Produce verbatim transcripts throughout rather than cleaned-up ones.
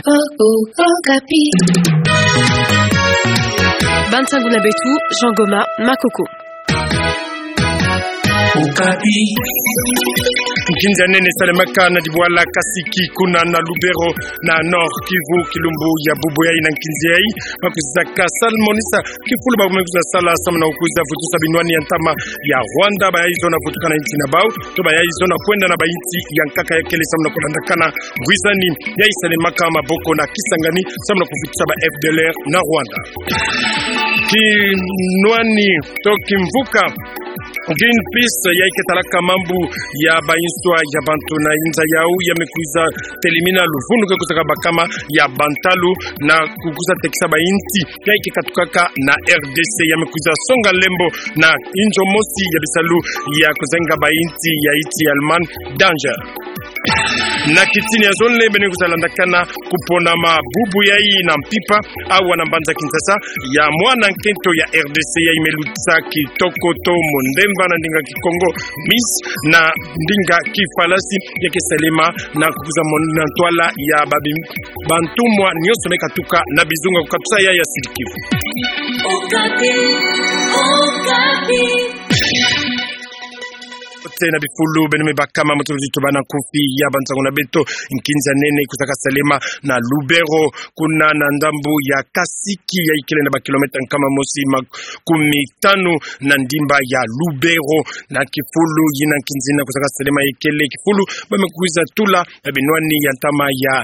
Okapi. Bansangu na beto, Jean Goma Makoko. Okapi. Nkinzi ya nene salemaka na dibwala Kasiki kuna na Lubero na Nord-Kivu, kilumbu ya bubu yayi na nkinzi yayi, ba kwiza ka salmonisa kifulu ba me kwiza sala samu na kwiza vutusa binwani ya ntama ya Rwanda, bayayi zona vutuka na insi na bau, to bayayi zona kwenda na bainsi ya nkaka ya kele samu na kulandakana ngwizani yayi salemaka maboko na Kisangani samu na kuvutusa ba F D L R na Rwanda. Kinwani to kimvuka Greenpeace yayi ke talaka mambu ya ba inswa ya bantu na inza yau ya me kwiza telimina luvunu ke kwiza kabakama ya bantalu na kukwiza tekisa bainsi yayi ke katukaka na R D C, ya me kwiza songa lembo na inzo mosi ya bisalu ya kuzenga bainsi ya insi ya Allemagne, Danger. Na kitini ya zole beno kwiza landakana kuponama bubu yayi na mpimpa awa na mbanza Kinshasa ya mwana nkento ya R D C yayi me lutisa kitoko to mondemba na ndinga Kikongo, Miss, na ndinga Kifalasi, ya ke salema na kwiza mona ntwala ya babi-, bantumwa nyonso me katuka na bizunga ku katusa yayi ya Sud-Kivu. Okapi, Okapi. Te na bifulu beno me bakama mutu tuba na nkufi ya bansangu na beto, nkinzi ya nene kwiza ka salema na Lubero, kuna na ndambu ya Kasiki, yayi kele na ba kilomètre nkama mosi makumi tanu na ndimba ya Lubero. Na kifulu yina, nkinzi yina kwiza ka salema, ya kele kifulu ba me kwiza tula na binwani ya ntama ya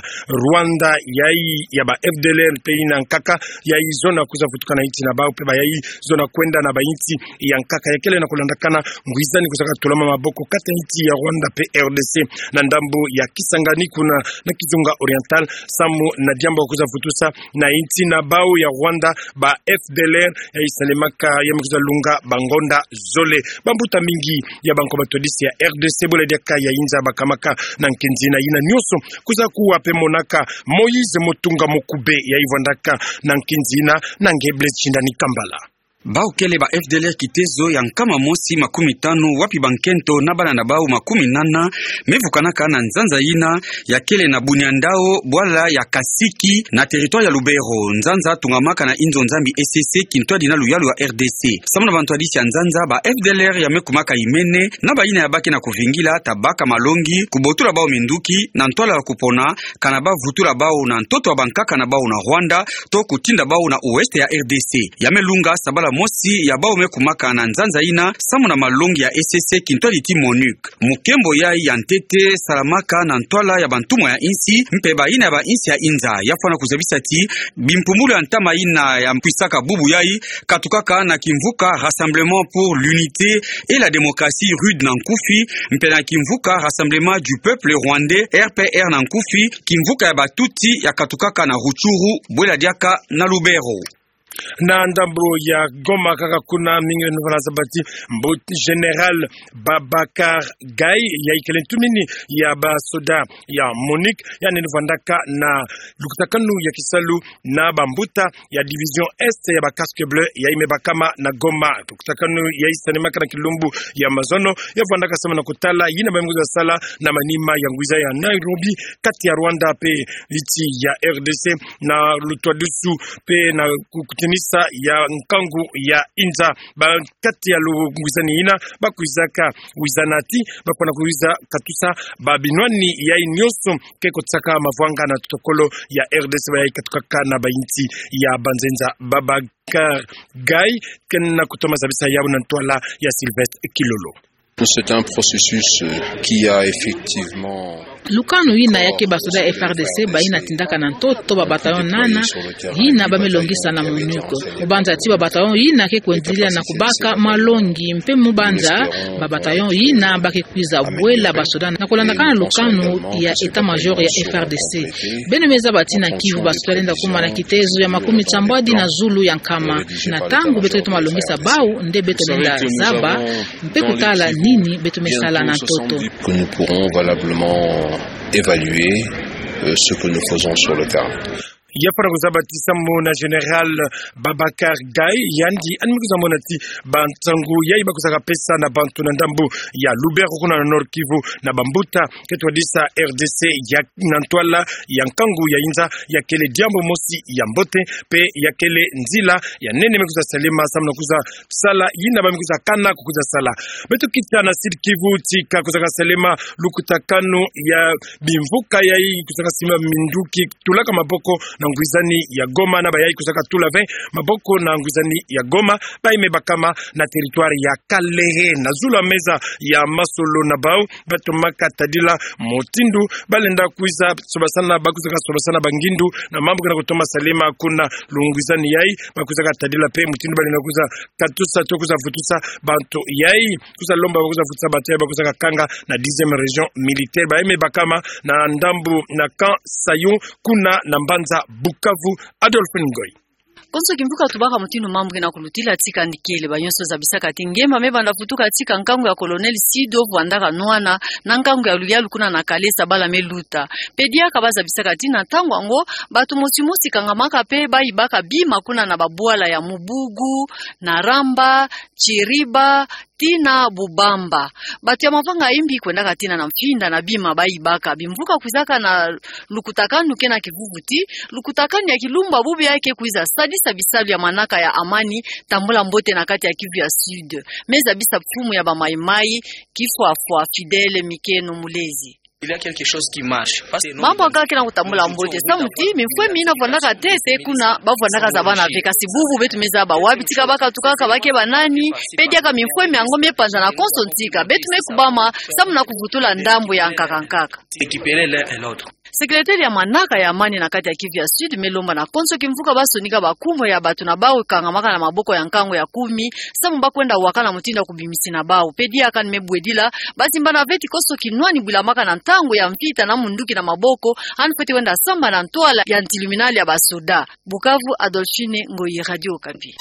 Rwanda, yayi ya ba F D L R mpe yina nkaka, yayi zona kwiza vutuka na insi na bau mpe bayayi zona kwenda na bainsi ya nkaka ya kele na kulandakana ngwizani kwiza katulama maboko kati ya insi ya Rwanda mpe R D C na ndambu ya Kisangani kuna na Kizunga Oriental, samu na diambu kwiza vutusa na insi na bau ya Rwanda ba F D L R yayi salemaka ya me kwiza lunga bangonda zole. Bambuta mingi ya banko batwadisi ya R D C bole diaka ya inza bakamaka na nkinzi yina, yina nyonso kwiza kuwa mpe monaka Moïse Mutunga Mokube yayi vwandaka na nkinzi yina na nge Blaise Shindani Kambala. Bau kele ba F D L R kitezo ya nkama mosi makumi tanu, wapi bankento na bana na bau makumi nana me vukanaka na nzanza yina ya kele na Bunia Ndao, bwala ya Kasiki, na territoire ya Lubero. Nzanza tungamaka na inzo nzambi E C C, kintwadi na luyalu ya R D C. Samu na bantwadisi ya nzanza, ba F D L R ya me kumaka imene na bayina ya baki na kuvingila ta baka malongi, kubotula bau minduki na ntwala ya kupona, kana ba vutula bau na ntoto ya bankaka na bau na Rwanda, to kutinda bau na ouest ya R D C. Ya me lunga sabala mosi ya bau me kumaka na nzanza yina samu na malongi ya E C C, kintwadi ti MONUC. Mukembo yayi ya ntete salamaka na ntwala ya bantumwa ya insi mpe bayina ya bainsi ya inza. Ya fwana kuzabisa ti bimpumbulu ya ntama yina ya kwisaka bubu yayi katukaka na kimvuka Rassemblement pour l'unité et la démocratie RUD na nkufi, mpe na kimvuka Rassemblement du peuple rwandais, R P R na nkufi, kimvuka ya ba Tutsi ya katukaka na Rutshuru, bwela diaka na Lubero. Na ndambu ya Goma kaka kuna, mingi beno vwala zaba ti mbuta Général Babacar Gaye, yayi kele ntumini ya basoda ya MONUC, yandi ni vwandaka na lukutakanu ya kisalu na bambuta ya division Est ya ba Casques Bleus yayi me bakama na Goma. Lukutakanu yayi salemaka na kilumbu ya mazono, ya vwandaka samu na kutala yina ba me kwiza sala na manima ya ngwiza ya Nairobi, kati ya Rwanda mpe insi ya R D C, na lutwadusu mpe na ku-, kutinisa ya nkangu ya inza. Ba kati ya lungwizani yina, ba kwizaka wizana ti ba fwana kwiza katusa ba binwani yayi nyonso ke kotisaka mavwanga na totokolo ya R D C, bayayi katukaka na bainsi ya banzenza. Babacar Gaye kena kutoma zabisa yawu na ntwala ya Sylvestre Kilolo. C'est un processus, euh, qui a effectivement Lukanu yina ya ke basoda ya F R D C bayina tindaka na ntoto ba bataillon nana yina ba me longisa na MONUC. Mu banza ti ba bataillon yina ke kwendilila na kubaka malongi, mpe mu banza ba bataillon yina ba ke kwiza bwela basoda na kulandakana lukanu ya état-major ya F R D C. Beno me zaba ti na Kivu basoda balenda kuma na kitezo ya makumi sambwadi na zulu ya nkama. Na ntangu beto ke toma longisa bawu, nde beto lenda zaba mpe kutala nini beto me sala na ntoto. Que nous pourrons valablement évaluer, euh, ce que nous faisons sur le terrain. Ya fwana kuzaba ti samu na Général Babacar Gaye, yandi yandi me kwiza mona ti bansangu yayi ba kwizaka pesa na bantu na ndambu ya Lubero kuna na Nord-Kivu, na bambuta ke twadisa R D C ya na ntwala ya nkangu ya inza, ya kele diambu mosi ya mbote, mpe ya kele nzila ya nene me kwiza salema samu na kwiza sala yina ba me kwiza kana ku kwiza sala. Beto kita na Sud-Kivu, tika kwizaka salema lukutakanu ya bimvuka yayi kwizaka simba minduki tulaka maboko na ngwizani ya Goma, na bayayi kwizaka tula ve maboko na ngwizani ya Goma, bayi me bakama na territoire ya Kalehe. Na zulu ya meza ya masolo na bau, bato maka tadila mutindu balenda kwiza sobasana, ba kwizaka sobasana bangindu na mambu kena kutoma salema kuna lungwizani yayi, ba kwizaka tadila mpe mutindu balenda kwiza katusa to kwiza vutusa bantu yayi, kwiza lomba ba kwiza vutusa bantu yayi ba kwizaka kanga na dixième région militaire. Bayi me bakama na ndambu na Camp Sayon, kuna na mbanza Bukavu. Adolphe Ngoyi. Konso kimvuka tubaka mutindu mambu kena kulutila, tika ndikele. Banionso zabisaka ti ngemba me banda vutuka tika nkangu ya Colonel Sido vwandaka nwana na nkangu ya Luyalu kuna na Kalesa bala me luta. Mpe diaka ba zabisaka ti na ntangu yango, bato mosi mosi kangamaka mpe bayibaka bima kuna na babwala ya Mubugu, na Ramba, Kiriba, tii na Bubamba. Bato ya mavanga ya imbi kwendaka tina na mfinda na bima bayibaka. Bimvuka kwizaka na lukutakanu kena kivuvu ti, lukutakanu ya kilumbu ya bubu yayi ke kwiza sadisa bisalu ya manaka ya amani, tambula mbote na kati ya Kivu ya Sud. Me zabisa mfumu ya ba Maï-Maï, Kifwafwa Fidèle Mikeno Mulezi. Il y a quelque chose qui marche. Parce que mambu ya nkaka kena kutambula mbote. Samu ti mimfwemi yina vwandaka ntete kuna, ba vwandaka zabana ve, kasi bubu beto me zaba wapi, tika ba katukaka, ba ke banani, mpe diaka mimfwemi yango me panzana konso ntika. Beto me kubama samu na kuvutula ndambu ya nkaka nkaka. Récupérer l'un et l'autre. Secrétaire ya manaka ya amani na kati ya Kivu ya Sud me lomba na konso kimvuka ba sonika bankumbu ya bato na bau kangamaka na maboko ya nkangu ya kumi, samu ba kwenda wakana mutindu ya kubimisina bau. Mpe diaka ni me bwedila, ba zimbana ve ti konso kinwani bwilamaka na ntangu ya mvita na munduki na maboko, yandi fweti wenda sambana na ntwala ya ntiluminali ya basoda. Bukavu, Adolphine Ngoyi, Radio Okapi.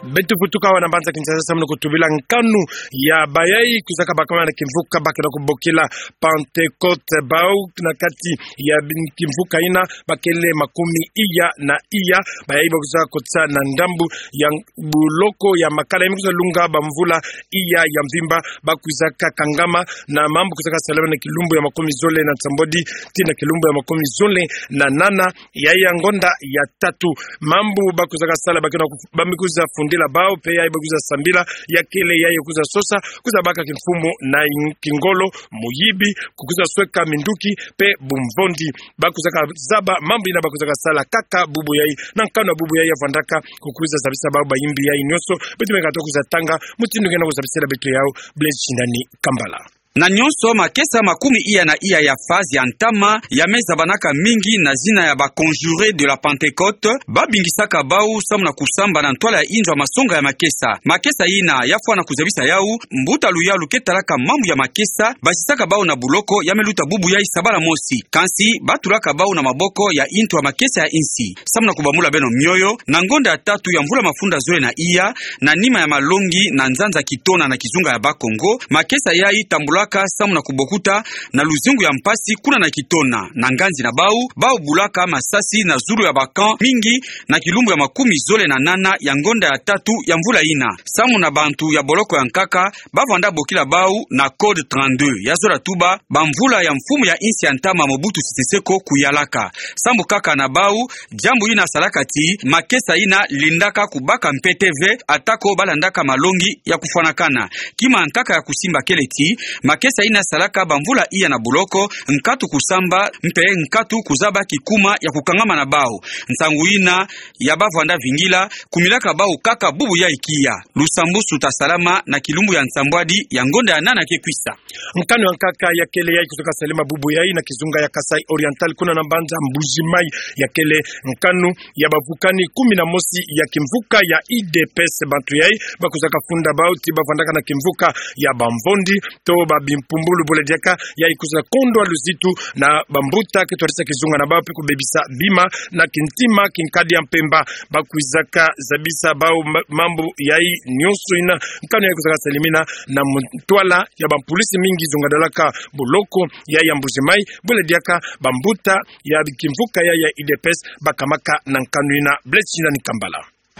Beto vutuka awa na mbanza Kinshasa samu na kutubila nkanu ya bayayi kwizaka bakama na kimvuka ba kena kubokila Pentecôte. Bau na kati ya bin-, kimvuka yina ba kele makumi iya na iya. Bayayi ba kwizaka kotisa na ndambu ya buloko ya makala ya me kwiza lunga bamvula iya ya mvimba, ba kwizaka kangama na mambu kwizaka salama na kilumbu ya makumi zole na nsambwadi tii na kilumbu ya makumi zole na nana ya, ya ngonda ya tatu. Mambu ba kwizaka sala, ba kena ku-, ba me kwiza fundila bau, mpe yayi ba kwiza sambila, ya kele yayi kwiza sosa, kwiza baka kimfumu na in-, kingolo, muyibi, kukwiza sweka minduki, mpe bumvondi. Ba kwizaka zaba mambu yina ba kwizaka sala kaka bubu yayi, na nkanu ya bubu yayi ya vwandaka, kukwiza zabisa bau bayimbi yayi nionso. Beto me kata kwiza tanga mutindu kena kuzabisila beto yau, Blaise Shindani Kambala. Na nionso, makesa makumi iya na iya ya phase ya ntama ya me zabanaka mingi na zina ya ba conjurés de la Pentecôte, ba bingisaka bau samu na kusamba na ntwala ya inzo ya masonga ya makesa. Makesa yina ya fwana kuzabisa yau, mbuta Luyalu ke talaka mambu ya makesa, basisaka bau na buloko ya me luta bubu yayi sabala mosi. Kansi ba tulaka bau na maboko ya intu ya makesa ya insi. Samu na kubambula beno mioyo, na ngonda ya tatu ya mvula mafunda zole na iya, na nima ya malongi na nzanza Kitona na kizunga ya Bas-Congo, makesa yayi tambulaka samu na kubokuta na luzingu ya mpasi kuna na Kitona. Na nganzi na bau, bau bulaka masasi na zulu ya ba camp mingi na kilumbu ya makumi zole na nana ya ngonda ya tatu ya mvula yina. Samu na bantu ya boloko ya nkaka, ba vwanda bokila bau na code trente-deux. Ya zola tuba, bamvula ya mfumu ya insi ya ntama Mobutu Sese Seko kuyalaka. Samu kaka na bau, diambu yina salaka ti makesa yina lendaka kubaka mpete ve, atako ba landaka malongi ya kufwanakana. Kima nkaka ya kusimba kele ti makesa yina salaka bamvula iya na boloko, nkatu kusamba, mpe nkatu kuzaba kikuma ya kukangama na bau. Nsangu yina ya ba vwanda vingila, kumilaka bau kaka bubu yayi kia. Lusambusu ta salama na kilumbu ya nsambwadi ya ngonda ya nana ke kwisa. Nkanu ya nkaka ya kele yayi kwizaka salama bubu yayi na kizunga ya Kasaï Oriental, kuna na mbanza Mbuji-Mayi, ya kele nkanu ya bavukani kumi na mosi ya kimvuka ya U D P S. Bantu yayi ba kwizaka funda bau ti ba vwandaka na kimvuka ya bamvondi, to ba bimpumbulu bole diaka, yayi kwiza kondwa luzitu na bambuta ke twadisa kizunga na bawu pe kubebisa bima na kintima kinkadi ya mpemba. Bakwizaka zabisa bawu ma-, mambu yayi nyonso yina, nkanu yayi kwizaka salemina na mu ntwala ya bampulisi mingi zongadalaka boloko yayi ya Mbuji-Mayi, bole diaka bambuta ya kimvuka yayi ya U D P S bakamaka na nkanu yina. Blaise Shina Nikambala.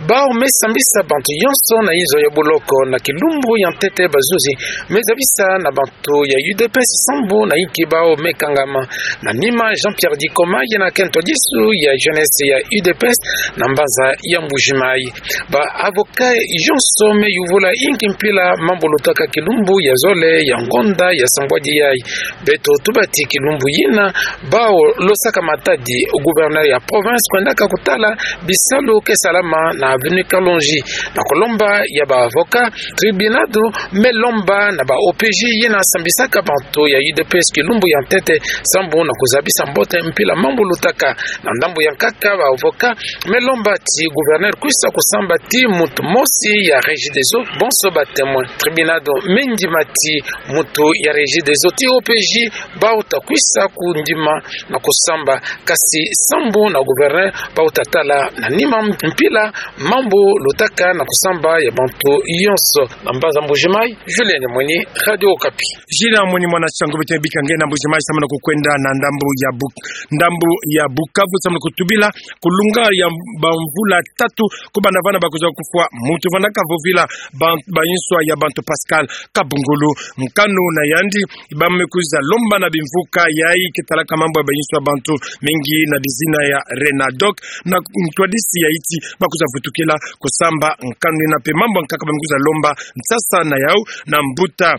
Bawu me sambisa bantu yonso na inzo ya boloko na kilumbu ya ntete bazuzi me zabisa na bantu ya U D P S sambu na inki bawu me kangama. Na nima Jean-Pierre Dikoma, yena ke ntwadisu ya jeunesse ya U D P S na mbanza ya Mbuji-Mayi. Ba avocat yonso me yuvula inki mpila mambu lutaka kilumbu ya zole ya ngonda ya sambwadi yayi. Beto tubati kilumbu yina, bawu losaka matadi gouverneur ya province kwendaka kutala bisalu ke salama na avenue Kalonji. Na kulomba ya ba avocat, tribunal me lomba na ba O P J yina sambisaka bantu ya U D P S kilumbu ya ntete sambu na kuzabisa mbote mpila mambu lutaka. Na ndambu ya nkaka, ba avocat me lomba ti gouverneur kwisa kusamba ti mutu mosi ya Regideso, bonso ba témoin. Tribunal me ndima ti mutu ya Regideso ti O P J, bawu ta kwisa kundima na kusamba, kasi sambu na gouverneur bawu ta tala na nima mpila mambu lutaka na kusamba ya bantu yonso. Na mbanza Mbuji-Mayi, Julien Mweni, Radio Okapi. Julien Mweni, mwana Shangu. Beto bika nge na Mbuji-Mayi samu na kukwenda na ndambu ya Buk-, ndambu ya Bukavu samu na kutubila kulunga ya bamvula tatu kubanda vana bakwiza kufwa mutu vandaka vovila ban-, bayinswa ya bantu Pascal Kabungulu. Nkanu na yandi, ba me kwiza lomba na bimvuka yayi ke talaka mambu ya bayinswa ya bantu mingi na bizina ya Renadoc, na ntwadisi ya yeti bakwiza vutukila kusamba nkanu yina. Mpe mambu ya nkaka ba me kwiza lomba nsasa na yawu na mbuta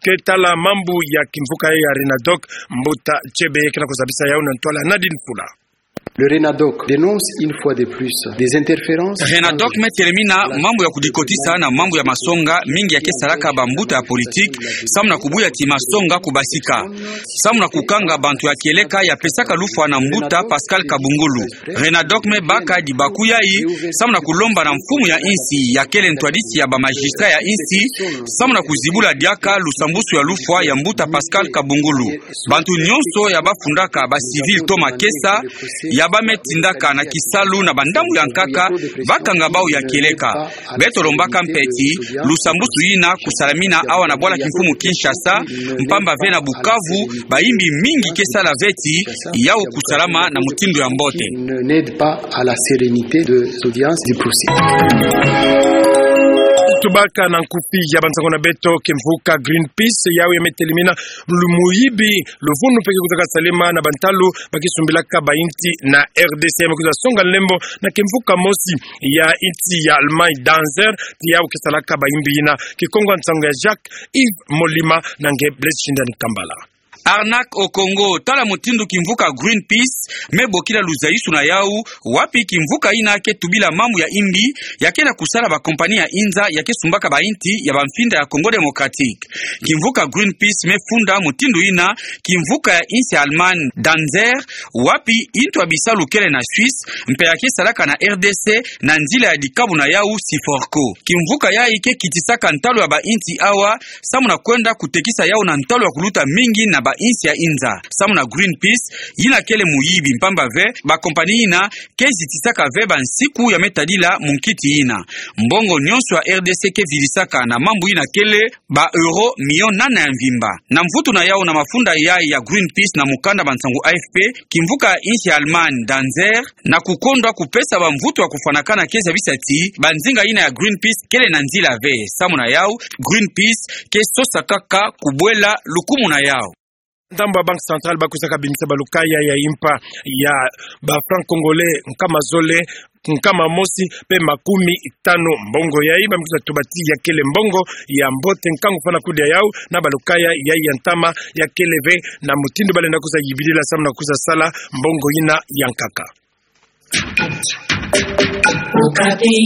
ke tala mambu ya kimvuka ya Renadoc, mbuta Chebe, ke na kuzabisa yawu na ntwala Nadine Fula. Le Renadoc dénonce une fois de plus des interférences. Renadoc me telemina mambu ya kudikotisa na mambu ya masonga mingi ya ke salaka bambuta ya politique, samu na kubuya ti masonga kubasika, samu na kukanga bantu ya kieleka ya pesaka lufwa na mbuta Pascal Kabungulu. Renadoc me baka dibaku yayi samu na kulomba na mfumu ya insi ya kele ntwadisi ya ba magistrat ya insi, samu na kuzibula diaka lusambusu ya lufwa ya mbuta Pascal Kabungulu. Bantu nyonso ya bafundaka ba civil to makesa, ya ba me tindaka na kisalu na bandambu ya nkaka, bakanga bawu ya kieleka. Beto lombaka mpe ti lusambusu yina kusalamina awa na bwala kimfumu Kinshasa, mpamba ve na Bukavu, bayimbi mingi ke sala ve ti yawu kusalama na mutindu ya mbote. N'aide pas à la sérénité de l'audience du procès. Tubaka na nkufi ya bansangu na beto, kimvuka Greenpeace, yawu ya me telemina lu muyibi luvunu mpe ke kwizaka salema na bantalu ba ke sumbilaka bayinti na R D C, ya me kwiza songa lembo na kimvuka mosi ya insi ya Allemagne, Danzer, ti yawu ke salaka bayimbi yina. Kikongo ya nsangu ya Jacques Yves Molima, na nge Blaise Shindani Kambala. Arnaque au Congo, tala mutindu kimvuka Greenpeace me bokila luzayusu na yawu, wapi kimvuka yina ke tubila mambu ya imbi ya ke na kusala ba compagnie ya inza ya ke sumbaka bayinti ya bamfinda ya Congo Démocratique. Kimvuka Greenpeace me funda mutindu yina kimvuka ya insi ya Allemagne, Danzer, wapi intu ya bisalu kele na Suisse, mpe ya ke salaka na R D C na nzila ya dikabu na yawu Syforco. Kimvuka yayi ke kitisaka ntalu ya bayinti awa, samu na kwenda kutekisa yawu na ntalu ya kuluta mingi na bayinsi ya inza. Samu na Greenpeace, yina kele muyibi, mpamba ve ba compagnie yina ke zitisaka ve bansiku ya me tadila munkiti yina. Mbongo nyonso ya R D C ke vidisaka na mambu yina kele ba euro million nana ya mvimba. Na mvutu na yawu na mafunda yayi ya Greenpeace na mukanda bansangu A F P, kimvuka ya insi ya Allemagne, Danzer, na kukondwa kupesa bamvutu ya kufwanakana ke zabisa ti banzinga yina ya Greenpeace kele na nzila ve. Samu na yawu, Greenpeace ke sosa kaka kubwela lukumu na yawu. Ndambu ya Banque Centrale ba kwizaka bimisa balukaya ya impa ya ba francs congolais nkama zole, nkama mosi mpe makumi tanu. Mbongo yayi ba me kwiza tuba ti ya kele mbongo ya mbote nkangu fwana kudia yawu na balukaya yayi ya ntama ya kele ve na mutindu ba lenda kwiza yibidila samu na kwiza sala mbongo yina ya nkaka. Okapi.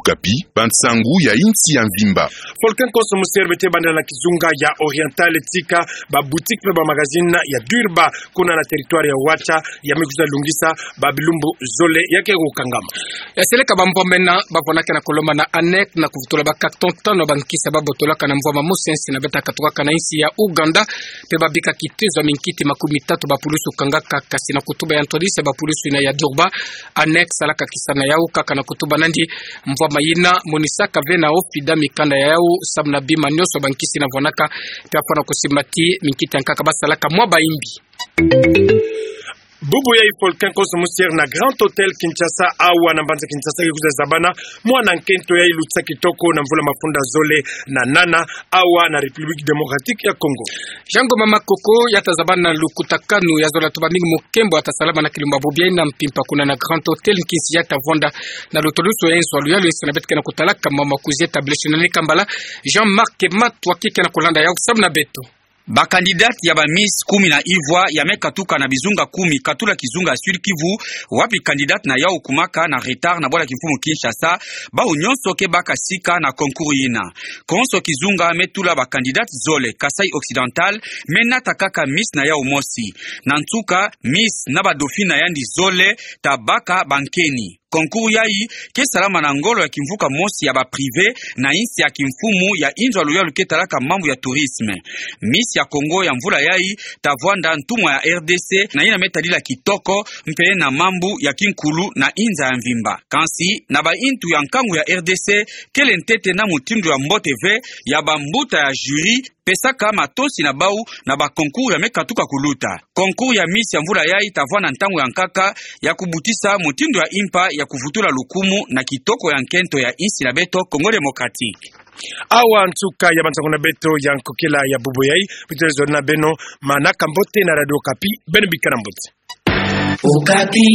Okapi, bansangu ya insi ya mvimba. Volcan Cosmos Terre beto banda na kizunga ya Oriental, tika ba boutique pe ba magazine ya Durba, kuna na territoire ya Wacha, ya me kwiza lungisa ba bilumbu zole ya ke kukangama. Ya seleka ba mvwama mena, ba vwanaka na kolomba na ANEC na kuvutula ba carton tano ba nkisi ba botolaka na mvwama mosi ya insi na beto katukaka na insi ya Ouganda, pe ba bika kitezo ya minkiti makumi tatu ba pulusu kangaka, kasi na kutuba ya ntwadisi ya ba pulusu yina ya Durba, ANEC salaka kisa na yau kaka na kutuba nandi mvwama yina monisaka ve na ofida mikanda ya yau, samu na bima nionso ba nkisi yina vwanaka, pe afwana kusimbati minkiti ya nkaka ba salaka mwa ba imbi. Bubu ya Volcan Cosmos Terre na Grand Hotel Kinshasa, awa na mbanza Kinshasa, ke kwiza zabana mwana nkento ya luta kitoko na mvula mafunda zole na nana, awa na République Démocratique ya Congo. Jean Ngoma Makoko ya ta zabana na lukutakanu ya zola tuba mingi mu nkembo ya ta salama na kilumbu bubu yayi na mpimpa kuna na Grand Hotel Kinshasa, ya ta vwanda na lutulusu ya inzo ya luyalu insi na beto ke na kutalaka mama kuzie tableshi na ni kambala. Jean-Marc Matwa ke na kulanda yau samu na beto. Ba candidate ya ba Miss kumi na ivwa ya me katuka na bizunga kumi, katula kizunga Sud-Kivu, wapi candidate na yau kumaka na retard na bwala kimfumu Kinshasa, bawu nionso ke baka sika na concours yina. Konso kizunga me tula ba candidate zole. Kasaï Occidental me nata kaka Miss na yau mosi. Na nsuka, Miss na ba dauphine na yandi zole ta baka ba nkeni. Concours yayi ke salama na ngolo ya kimvuka mosi ya ba privé na insi ya kimfumu ya inzo ya luyalu ke talaka mambu ya tourisme. Miss ya Congo ya mvula yayi ta vwanda ntumwa ya R D C na yina me tadila kitoko mpe na mambu ya kinkulu na inza ya mvimba. Kansi na ba intu ya nkangu ya R D C, kele ntete na mutindu ya mbote ve ya ba mbuta ya jury, pesaka matosi na bawu na ba concours ya me katuka kuluta. Concours ya Miss ya mvula yayi ta vwanda ntangu ya nkaka ya kubutisa mutindu ya impa ya kuvutula lukumu na kitoko ya nkento ya insi na beto Congo Démocratique. Awa nsuka ya bansangu na beto ya nkokila ya bubu yayi, beto zolele na beno manaka mbote na Radio Okapi, beno bikana mbote. Okapi.